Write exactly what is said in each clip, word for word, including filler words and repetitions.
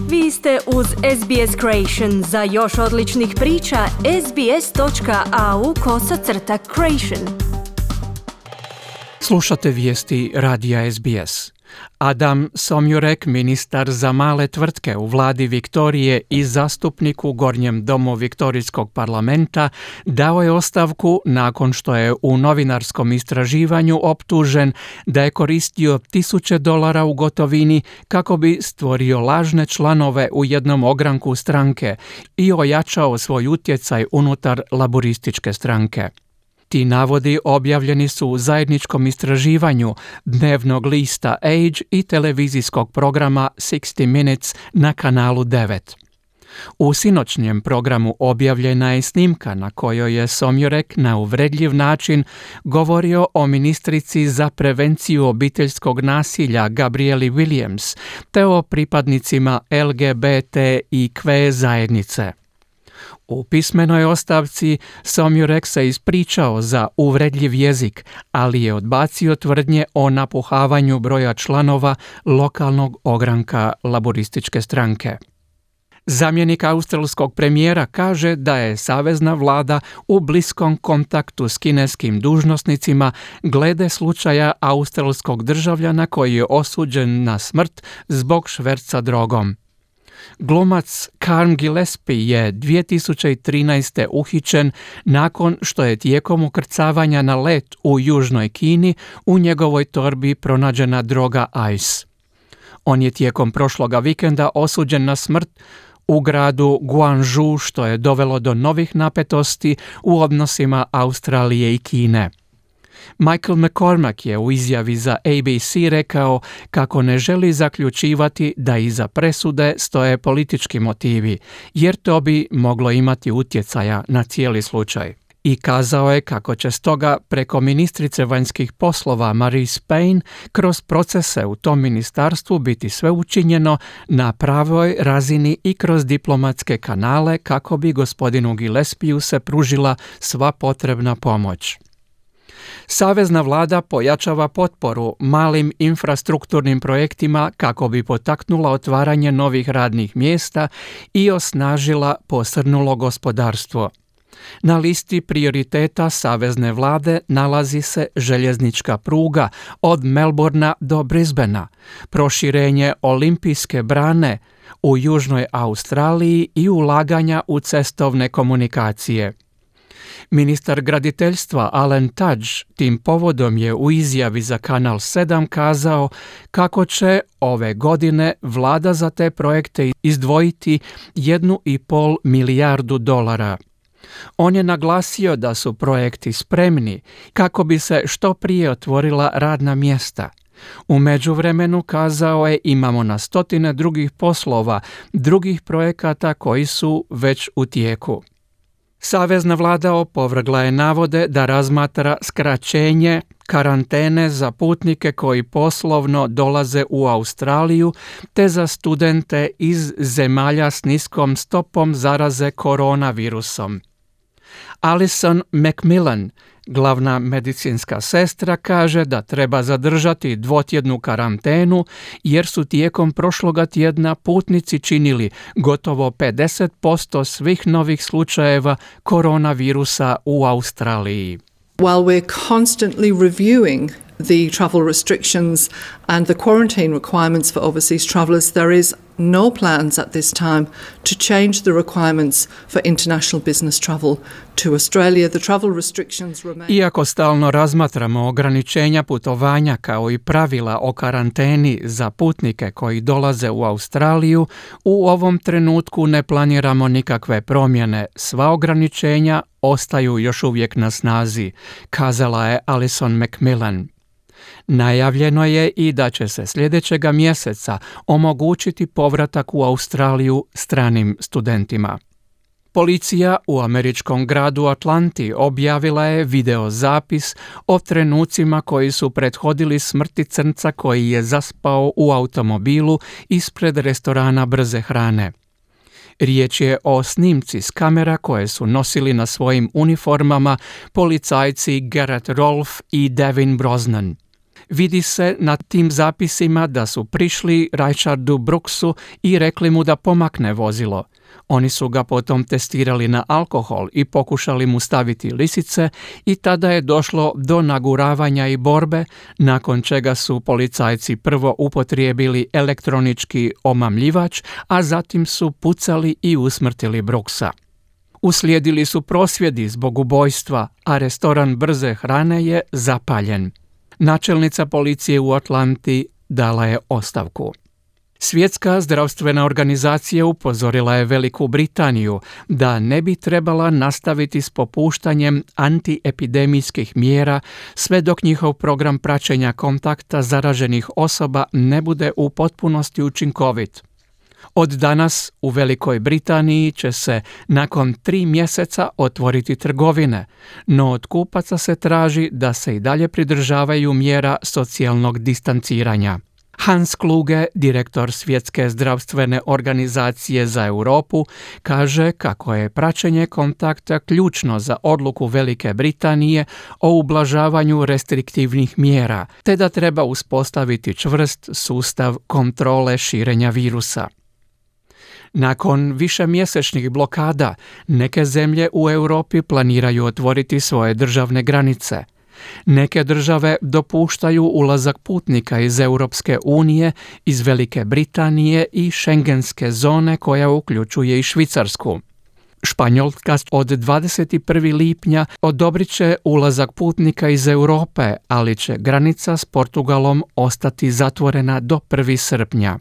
Vi ste uz S B S Creation. Za još odličnih priča, sbs.au kosacrta creation. Slušate vijesti radija S B S. Adam Somjurek, ministar za male tvrtke u vladi Viktorije i zastupnik u Gornjem domu Viktorijskog parlamenta, dao je ostavku nakon što je u novinarskom istraživanju optužen da je koristio tisuće dolara u gotovini kako bi stvorio lažne članove u jednom ogranku stranke i ojačao svoj utjecaj unutar laborističke stranke. Ti navodi objavljeni su u zajedničkom istraživanju dnevnog lista Age i televizijskog programa šezdeset Minutes na kanalu devet. U sinoćnjem programu objavljena je snimka na kojoj je Somjurek na uvredljiv način govorio o ministrici za prevenciju obiteljskog nasilja Gabrieli Williams te o pripadnicima L G B T I Q zajednice. U pismenoj ostavci Somjurek se ispričao za uvredljiv jezik, ali je odbacio tvrdnje o napuhavanju broja članova lokalnog ogranka laborističke stranke. Zamjenik australskog premijera kaže da je savezna vlada u bliskom kontaktu s kineskim dužnosnicima glede slučaja australskog državljana koji je osuđen na smrt zbog šverca drogom. Glumac Carm Gillespie je dvije tisuće trinaeste. uhićen nakon što je tijekom ukrcavanja na let u Južnoj Kini u njegovoj torbi pronađena droga ice. On je tijekom prošloga vikenda osuđen na smrt u gradu Guangzhou, što je dovelo do novih napetosti u odnosima Australije i Kine. Michael McCormack je u izjavi za A B C rekao kako ne želi zaključivati da iza presude stoje politički motivi, jer to bi moglo imati utjecaja na cijeli slučaj. I kazao je kako će stoga preko ministrice vanjskih poslova Marise Payne kroz procese u tom ministarstvu biti sve učinjeno na pravoj razini i kroz diplomatske kanale kako bi gospodinu Gillespieu se pružila sva potrebna pomoć. Savezna vlada pojačava potporu malim infrastrukturnim projektima kako bi potaknula otvaranje novih radnih mjesta i osnažila posrnulo gospodarstvo. Na listi prioriteta savezne vlade nalazi se željeznička pruga od Melbourna do Brisbanea, proširenje olimpijske brane u Južnoj Australiji i ulaganja u cestovne komunikacije. Ministar graditeljstva Alan Tudge tim povodom je u izjavi za Kanal sedam kazao kako će ove godine vlada za te projekte izdvojiti jednu i pol milijardu dolara. On je naglasio da su projekti spremni kako bi se što prije otvorila radna mjesta. U međuvremenu, kazao je, imamo na stotine drugih poslova, drugih projekata koji su već u tijeku. Savezna vlada opovrgla je navode da razmatra skraćenje karantene za putnike koji poslovno dolaze u Australiju te za studente iz zemalja s niskom stopom zaraze koronavirusom. Alison McMillan, glavna medicinska sestra, kaže da treba zadržati dvotjednu karantenu jer su tijekom prošloga tjedna putnici činili gotovo pedeset posto svih novih slučajeva koronavirusa u Australiji. While we're constantly reviewing the travel restrictions and the quarantine requirements for overseas travellers, there is no plans at this time to change the requirements for international business travel to Australia. The travel restrictions remain. Iako stalno razmatramo ograničenja putovanja kao i pravila o karanteni za putnike koji dolaze u Australiju, u ovom trenutku ne planiramo nikakve promjene. Sva ograničenja ostaju još uvijek na snazi, kazala je Alison McMillan. Najavljeno je i da će se sljedećega mjeseca omogućiti povratak u Australiju stranim studentima. Policija u američkom gradu Atlanti objavila je videozapis o trenucima koji su prethodili smrti crnca koji je zaspao u automobilu ispred restorana brze hrane. Riječ je o snimci s kamera koje su nosili na svojim uniformama policajci Garrett Rolfe i Devin Brosnan. Vidi se na tim zapisima da su prišli Richardu Brooksu i rekli mu da pomakne vozilo. Oni su ga potom testirali na alkohol i pokušali mu staviti lisice i tada je došlo do naguravanja i borbe, nakon čega su policajci prvo upotrijebili elektronički omamljivač, a zatim su pucali i usmrtili Brooksa. Uslijedili su prosvjedi zbog ubojstva, a restoran brze hrane je zapaljen. Načelnica policije u Atlanti dala je ostavku. Svjetska zdravstvena organizacija upozorila je Veliku Britaniju da ne bi trebala nastaviti s popuštanjem antiepidemijskih mjera sve dok njihov program praćenja kontakta zaraženih osoba ne bude u potpunosti učinkovit. Od danas u Velikoj Britaniji će se nakon tri mjeseca otvoriti trgovine, no od kupaca se traži da se i dalje pridržavaju mjera socijalnog distanciranja. Hans Kluge, direktor Svjetske zdravstvene organizacije za Europu, kaže kako je praćenje kontakta ključno za odluku Velike Britanije o ublažavanju restriktivnih mjera, te da treba uspostaviti čvrst sustav kontrole širenja virusa. Nakon višemjesečnih blokada, neke zemlje u Europi planiraju otvoriti svoje državne granice. Neke države dopuštaju ulazak putnika iz Europske unije, iz Velike Britanije i šengenske zone koja uključuje i Švicarsku. Španjolska od dvadeset prvog lipnja odobrit će ulazak putnika iz Europe, ali će granica s Portugalom ostati zatvorena do prvog srpnja.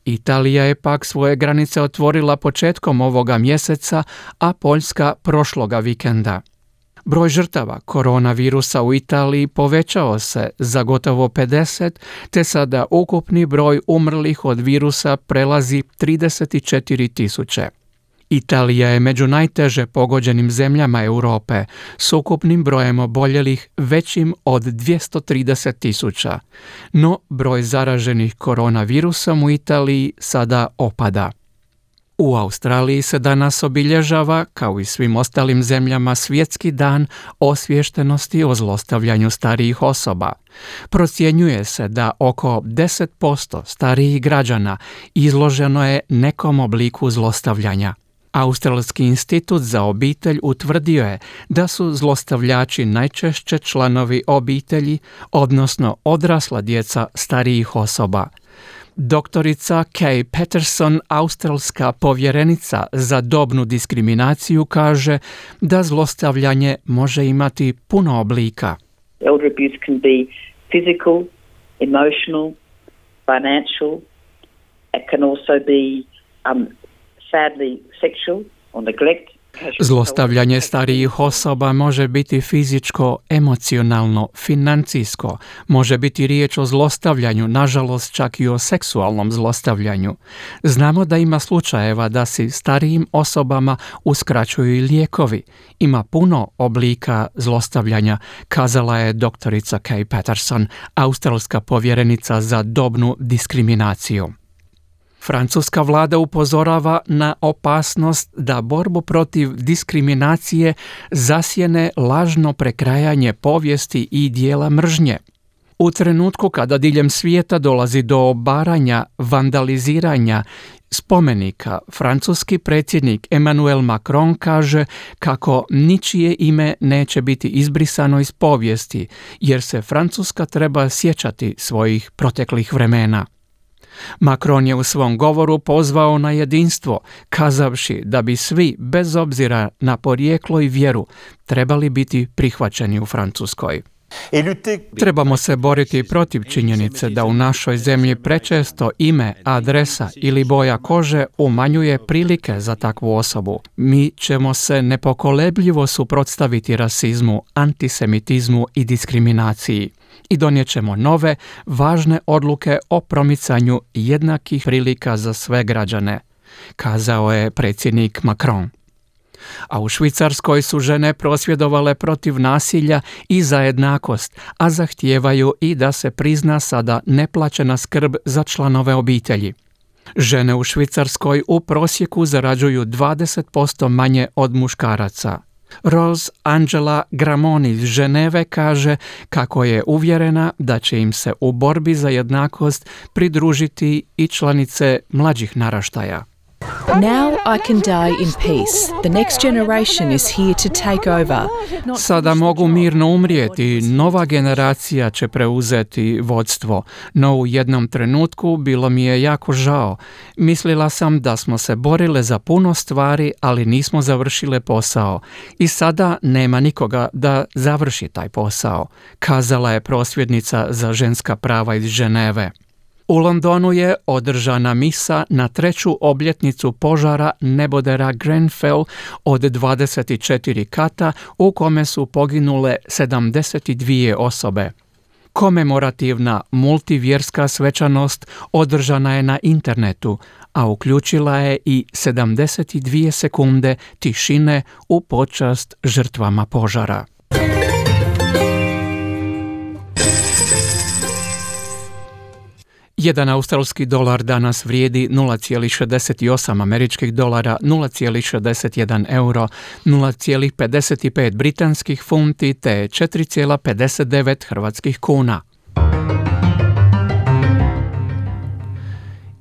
Italija je pak svoje granice otvorila početkom ovoga mjeseca, a Poljska prošloga vikenda. Broj žrtava koronavirusa u Italiji povećao se za gotovo pedeset, te sada ukupni broj umrlih od virusa prelazi trideset četiri tisuće. Italija je među najteže pogođenim zemljama Europe s ukupnim brojem oboljelih većim od dvjesto trideset tisuća, no broj zaraženih koronavirusom u Italiji sada opada. U Australiji se danas obilježava, kao i svim ostalim zemljama, Svjetski dan osviještenosti o zlostavljanju starijih osoba. Procjenjuje se da oko deset posto starijih građana izloženo je nekom obliku zlostavljanja. Australski institut za obitelj utvrdio je da su zlostavljači najčešće članovi obitelji, odnosno odrasla djeca starijih osoba. Doktorica Kay Patterson, australska povjerenica za dobnu diskriminaciju, kaže da zlostavljanje može imati puno oblika. Elder abuse can be physical, emotional, financial. It can also be um, sadly sexual or neglect. Zlostavljanje starijih osoba može biti fizičko, emocionalno, financijsko, može biti riječ o zlostavljanju, nažalost čak i o seksualnom zlostavljanju. Znamo da ima slučajeva da se starijim osobama uskraćuju i lijekovi. Ima puno oblika zlostavljanja, kazala je doktorica Kay Patterson, australska povjerenica za dobnu diskriminaciju. Francuska vlada upozorava na opasnost da borbu protiv diskriminacije zasjene lažno prekrajanje povijesti i dijela mržnje. U trenutku kada diljem svijeta dolazi do obaranja, vandaliziranja spomenika, francuski predsjednik Emmanuel Macron kaže kako ničije ime neće biti izbrisano iz povijesti, jer se Francuska treba sjećati svojih proteklih vremena. Macron je u svom govoru pozvao na jedinstvo, kazavši da bi svi, bez obzira na porijeklo i vjeru, trebali biti prihvaćeni u Francuskoj. Trebamo se boriti protiv činjenice da u našoj zemlji prečesto ime, adresa ili boja kože umanjuje prilike za takvu osobu. Mi ćemo se nepokolebljivo suprotstaviti rasizmu, antisemitizmu i diskriminaciji i donijet ćemo nove, važne odluke o promicanju jednakih prilika za sve građane, kazao je predsjednik Macron. A u Švicarskoj su žene prosvjedovale protiv nasilja i za jednakost, a zahtijevaju i da se prizna sada neplaćena skrb za članove obitelji. Žene u Švicarskoj u prosjeku zarađuju dvadeset posto manje od muškaraca. Rose Angela Gramoni iz Ženeve kaže kako je uvjerena da će im se u borbi za jednakost pridružiti i članice mlađih naraštaja. Now I can die in peace. The next generation is here to take over. Sada mogu mirno umrijeti, nova generacija će preuzeti vodstvo, no u jednom trenutku bilo mi je jako žao. Mislila sam da smo se borile za puno stvari, ali nismo završile posao. I sada nema nikoga da završi taj posao, kazala je prosvjednica za ženska prava iz Ženeve. U Londonu je održana misa na treću obljetnicu požara nebodera Grenfell od dvadeset četiri kata u kome su poginule sedamdeset dvije osobe. Komemorativna multivjerska svečanost održana je na internetu, a uključila je i sedamdeset dvije sekunde tišine u počast žrtvama požara. Jedan australski dolar danas vrijedi nula zarez šezdeset osam američkih dolara, nula zarez šezdeset jedan euro, nula zarez pedeset pet britanskih funti te četiri zarez pedeset devet hrvatskih kuna.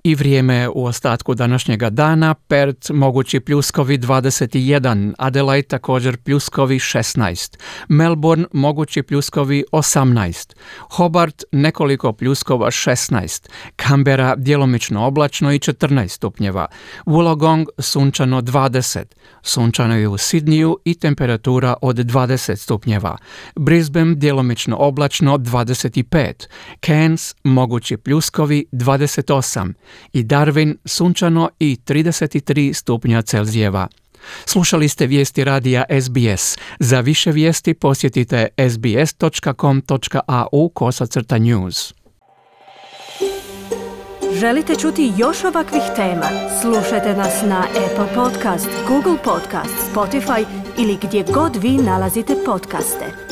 I vrijeme u ostatku današnjega dana: Perth mogući pljuskovi dvadeset jedan, Adelaide također pljuskovi šesnaest, Melbourne mogući pljuskovi osamnaest, Hobart nekoliko pljuskova šesnaest, Canberra djelomično oblačno i četrnaest stupnjeva, Wollongong sunčano dvadeset, sunčano je u Sidniju i temperatura od dvadeset stupnjeva, Brisbane djelomično oblačno dvadeset pet, Cairns mogući pljuskovi dvadeset osam i Darwin sunčano i trideset tri stupnja Celzijeva. Slušali ste vijesti radija S B S. Za više vijesti posjetite s b s dot com dot a u kosacrta news. Želite čuti još ovakvih tema? Slušajte nas na Apple Podcast, Google Podcast, Spotify ili gdje god vi nalazite podcaste.